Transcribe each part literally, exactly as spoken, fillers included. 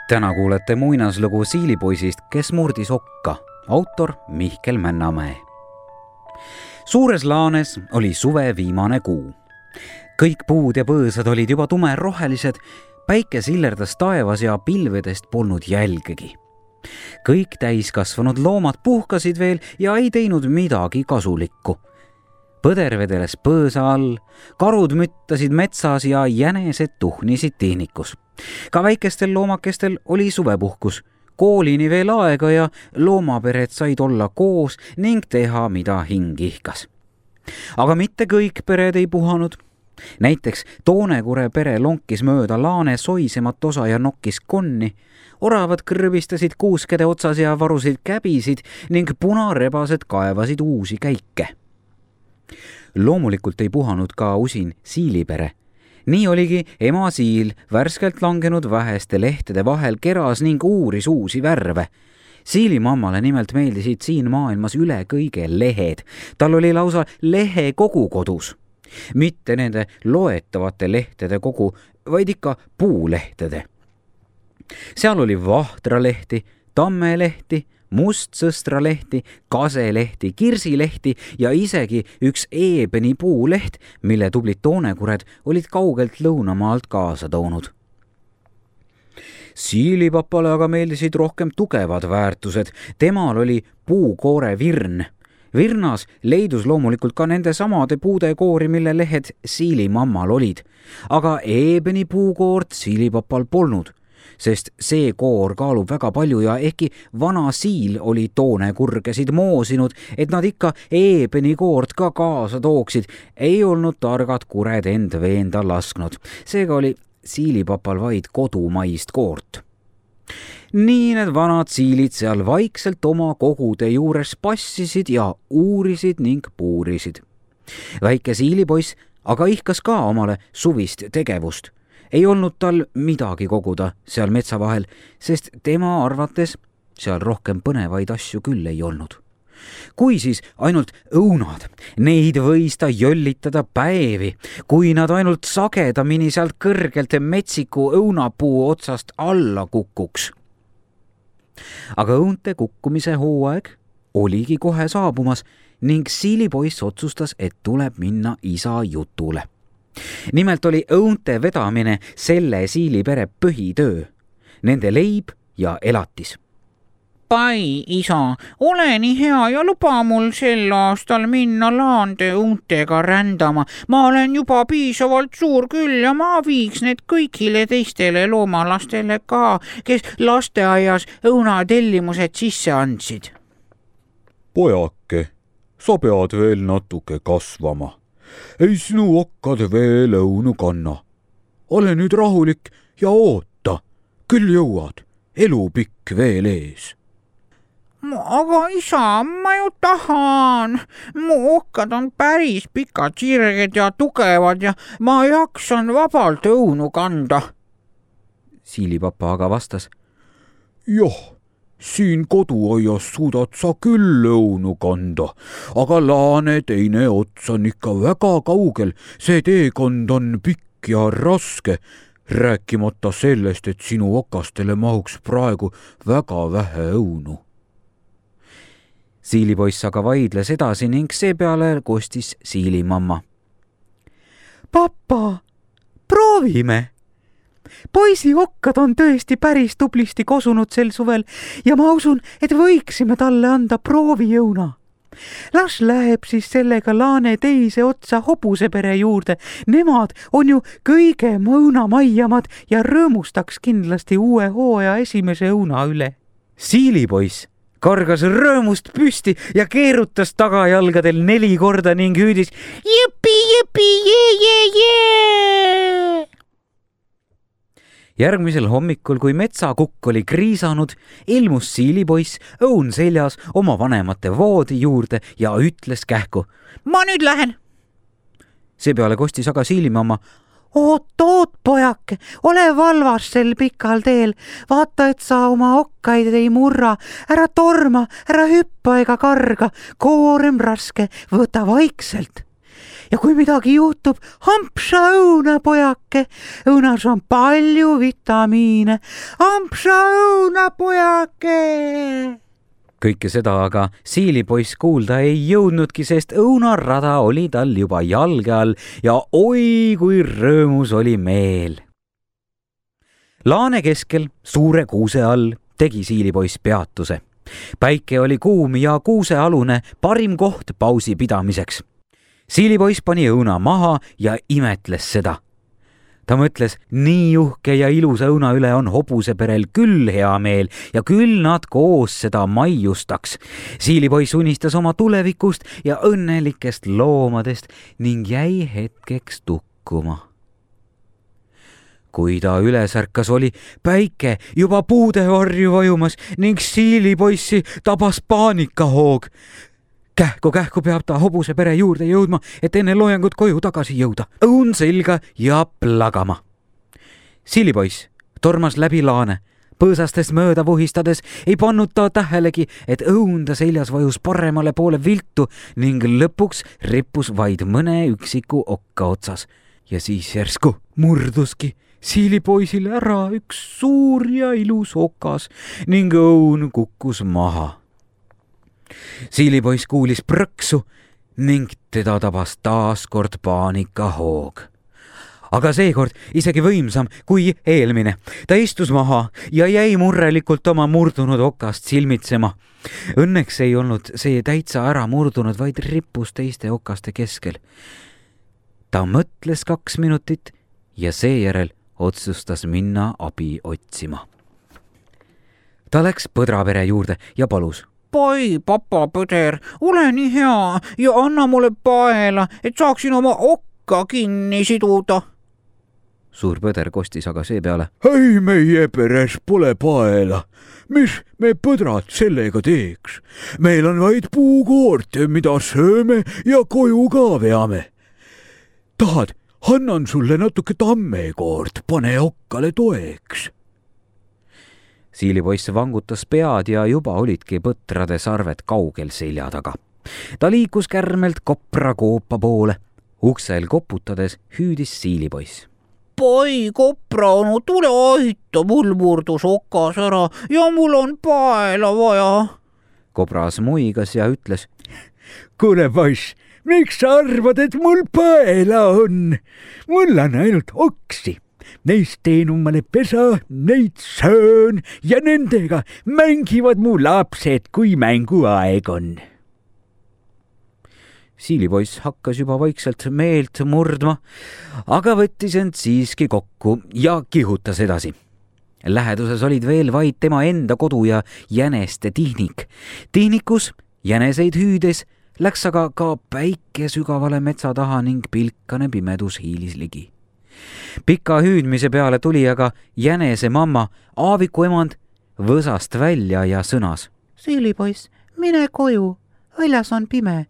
Täna kuulete muinaslugu Siilipoisist, kes murdis okka. Autor Mihkel Männamäe. Suures laanes oli suve viimane kuu. Kõik puud ja põõsad olid juba tumerohelised, päike sillerdas taevas ja pilvedest polnud jälgegi. Kõik täiskasvanud loomad puhkasid veel ja ei teinud midagi kasulikku. Põder vedeles põõsa all, karud müttasid metsas ja jänesed tuhnisid tihnikus. Ka väikestel loomakestel oli suvepuhkus. Koolini veel aega ja loomapered said olla koos ning teha, mida hing ihkas. Aga mitte kõik pered ei puhanud. Näiteks Toonekure pere lonkis mööda laane soisemat osa ja nokkis konni. Oravad kõrvistasid kuuskede otsas ja varusid käbisid ning punarebased kaevasid uusi käike. Loomulikult ei puhanud ka usin siilipere. Nii oligi ema siil värskelt langenud väheste lehtede vahel keras ning uuris uusi värve. Siilimammale nimelt meeldisid siin maailmas üle kõige lehed. Tal oli lausa lehe kogu kodus. Mitte nende loetavate lehtede kogu, vaid ikka puulehtede. Seal oli vahtralehti, tammelehti, mustsõstralehti, kaselehti, kirsilehti ja isegi üks eebeni puuleht, mille tublid toonekured olid kaugelt lõunamaalt kaasa toonud. Siilipapale aga meeldisid rohkem tugevad väärtused. Temal oli puukoore virn. Virnas leidus loomulikult ka nende samade puude koori, mille lehed Siilimammal olid. Aga eebeni puukoort Siilipapal polnud, sest see koor kaalub väga palju ja ehkki vana siil oli toonekurgesid moosinud, et nad ikka eebeni koort ka kaasa tooksid, ei olnud targad kured end veenda lasknud. Seega oli Siilipapal vaid kodumaist koort. Nii need vanad siilid seal vaikselt oma kogude juures passisid ja uurisid ning puurisid. Väike siilipoiss aga ihkas ka omale suvist tegevust. Ei olnud tal midagi koguda seal metsa vahel, sest tema arvates seal rohkem põnevaid asju küll ei olnud. Kui siis ainult õunad, neid võis ta jöllitada päevi, kui nad ainult sagedamini sealt kõrgelt metsiku õunapuu otsast alla kukuks. Aga õunte kukkumise hooaeg oligi kohe saabumas ning siilipoiss otsustas, et tuleb minna isa jutule. Nimelt oli õunte vedamine selle siilipere põhitöö, nende leib ja elatis. Pai, isa, ole nii hea ja luba mul sel aastal minna laande õuntega rändama. Ma olen juba piisavalt suur küll ja ma viiks need kõigile teistele loomalastele ka, kes lasteaias õunatellimused sisse andsid. Pojake, sa pead veel natuke kasvama. Ei sinu okkad veel õunu kanna. Ole nüüd rahulik ja oota, küll jõuad, elu pikk veel ees. Aga isa, ma ju tahan. Mu okkad on päris pikad, sirged ja tugevad ja ma jaksan vabalt õunu kanda. Siilipapa aga vastas. Joh, siin koduaias suudad sa küll õunu kanda, aga laane teine ots on ikka väga kaugel. See teekond on pikk ja raske, rääkimata sellest, et sinu okastele mahuks praegu väga vähe õunu. Siilipoiss aga vaidles edasi ning seepeale kostis Siilimamma. Papa, proovime! Poisi okkad on tõesti päris tublisti kosunud sel suvel ja ma usun, et võiksime talle anda proovijõuna. Las läheb siis sellega laane teise otsa hobusepere juurde. Nemad on ju kõige õunamaiamad ja rõõmustaks kindlasti uue hooaja esimese õuna üle. Siilipoiss kargas rõõmust püsti ja keerutas tagajalgadel neli korda ning hüüdis jõpi, jõpi, jee, jee, jee! Järgmisel hommikul, kui metsakukk oli kriisanud, ilmus Siilipoiss õun seljas oma vanemate voodi juurde ja ütles kähku. Ma nüüd lähen. Seepeale kostis aga Siilimamma. Oot, oot, pojake, ole valvas sel pikal teel. Vaata, et sa oma okkaid ei murra. Ära torma, ära hüppa ega karga. Koorem raske, võta vaikselt. ja kui midagi juhtub, ampsa õuna, pojake. Õunas on palju vitamiine. Ampsa õuna, pojake. Kõike seda aga siilipoiss kuulda ei jõudnudki, sest õunarada oli tal juba jalge all ja oi kui rõõmus oli meel. Laane keskel suure kuuse all tegi siilipoiss peatuse. Päike oli kuum ja kuusealune parim koht pausi pidamiseks. Siilipoiss pani õuna maha ja imetles seda. Ta mõtles, nii uhke ja ilusa õuna üle on hobuseperel küll hea meel ja küll nad koos seda maiustaks. Siilipoiss unistas oma tulevikust ja õnnelikest loomadest ning jäi hetkeks tukkuma. Kui ta üles ärkas, oli päike juba puude varju vajumas ning siilipoissi tabas paanikahoog. Kähku-kähku peab ta hobuse pere juurde jõudma, et enne loojangut koju tagasi jõuda. Õun selga ja plagama. Siilipoiss tormas läbi laane. Põõsastest mööda vuhistades ei pannud ta tähelegi, et õunda seljas vajus paremale poole viltu ning lõpuks rippus vaid mõne üksiku okka otsas. Ja siis järsku murduski siilipoisile ära üks suur ja ilus okas ning õun kukkus maha. Siilipoiss kuulis prõksu ning teda tabas taas kord paanikahoog. Aga seekord isegi võimsam kui eelmine. Ta istus maha ja jäi murrelikult oma murdunud okast silmitsema. Õnneks ei olnud see täitsa ära murdunud, vaid rippus teiste okaste keskel. Ta mõtles kaks minutit ja seejärel otsustas minna abi otsima. Ta läks põdrapere juurde ja palus. Pai, papa Põder, ole nii hea ja anna mulle paela, et saaksin oma okka kinni siduda. Suur Põder kostis aga seepeale. Ei, meie peres pole paela. Mis me põdrad sellega teeks? Meil on vaid puukoort, mida sööme ja koju ka veame. Tahad, annan sulle natuke tammekoort, pane okkale toeks. Siilipoiss vangutas pead ja juba olidki põtrade sarved kaugel selja taga. Ta liikus kärmelt kopra koopa poole. Uksel koputades hüüdis siilipoiss. Pai, kopra onu, tule aita, mul murdus okas ära ja mul on paela vaja. Kobras muigas ja ütles. Kuule poiss, miks sa arvad, et mul paela on? Mul on ainult oksi. Neist teen omale pesa, neid söön ja nendega mängivad mu lapsed, kui mänguaeg on. Siilipoiss hakkas juba vaikselt meelt murdma, aga võttis end siiski kokku ja kihutas edasi. Läheduses olid veel vaid tema enda kodu ja jäneste tihnik. Tihnikus jäneseid hüüdes läks aga ka päike sügavale metsa taha ning pilkane pimedus hiilis ligi. Pika hüüdmise peale tuli aga jänese mamma Aaviku emand võsast välja ja sõnas. Siilipoiss, mine koju, väljas on pime.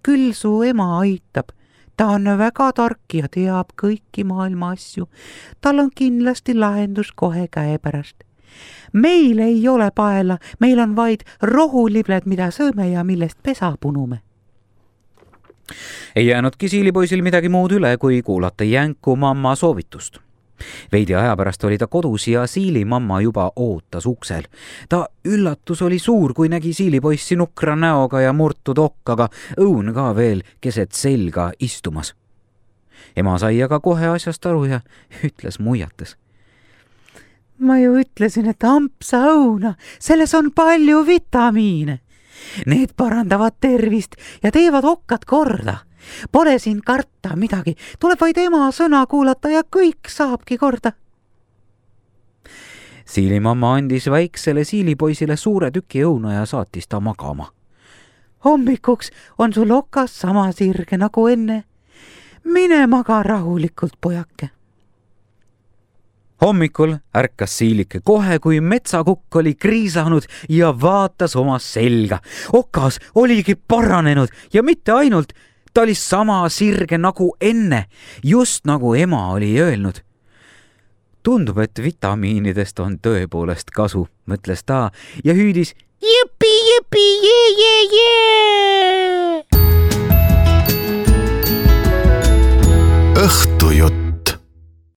Küll su ema aitab. Ta on väga tark ja teab kõiki maailma asju. Tal on kindlasti lahendus kohe käe pärast. Meil ei ole paela, meil on vaid rohulibled, mida sööme ja millest pesa punume. Ei jäänudki siilipoisil midagi muud üle, kui kuulata jänku mamma soovitust. Veidi aja pärast oli ta kodus ja siili mamma juba ootas uksel. Ta üllatus oli suur, kui nägi siilipoissi nukra näoga ja murtud okkaga, õun ka veel keset selga istumas. Ema sai aga kohe asjast aru ja ütles muiates. Ma ju ütlesin, et ampsa õuna, selles on palju vitamiine. Need parandavad tervist ja teevad okkad korda. Pole siin karta midagi, tuleb vaid ema sõna kuulata ja kõik saabki korda. Siilimamma andis väiksele siilipoisile suure tüki õuna ja saatis ta magama. Hommikuks on sul okas sama sirge nagu enne. Mine maga rahulikult, pojake. Hommikul ärkas siilike kohe, kui metsakukk oli kriisanud ja vaatas oma selga. Okas oligi paranenud ja mitte ainult, ta oli sama sirge nagu enne, just nagu ema oli öelnud. Tundub, et vitamiinidest on tõepoolest kasu, mõtles ta ja hüüdis. Jipi, jipi, jee, jee, jee! Õhtujutt.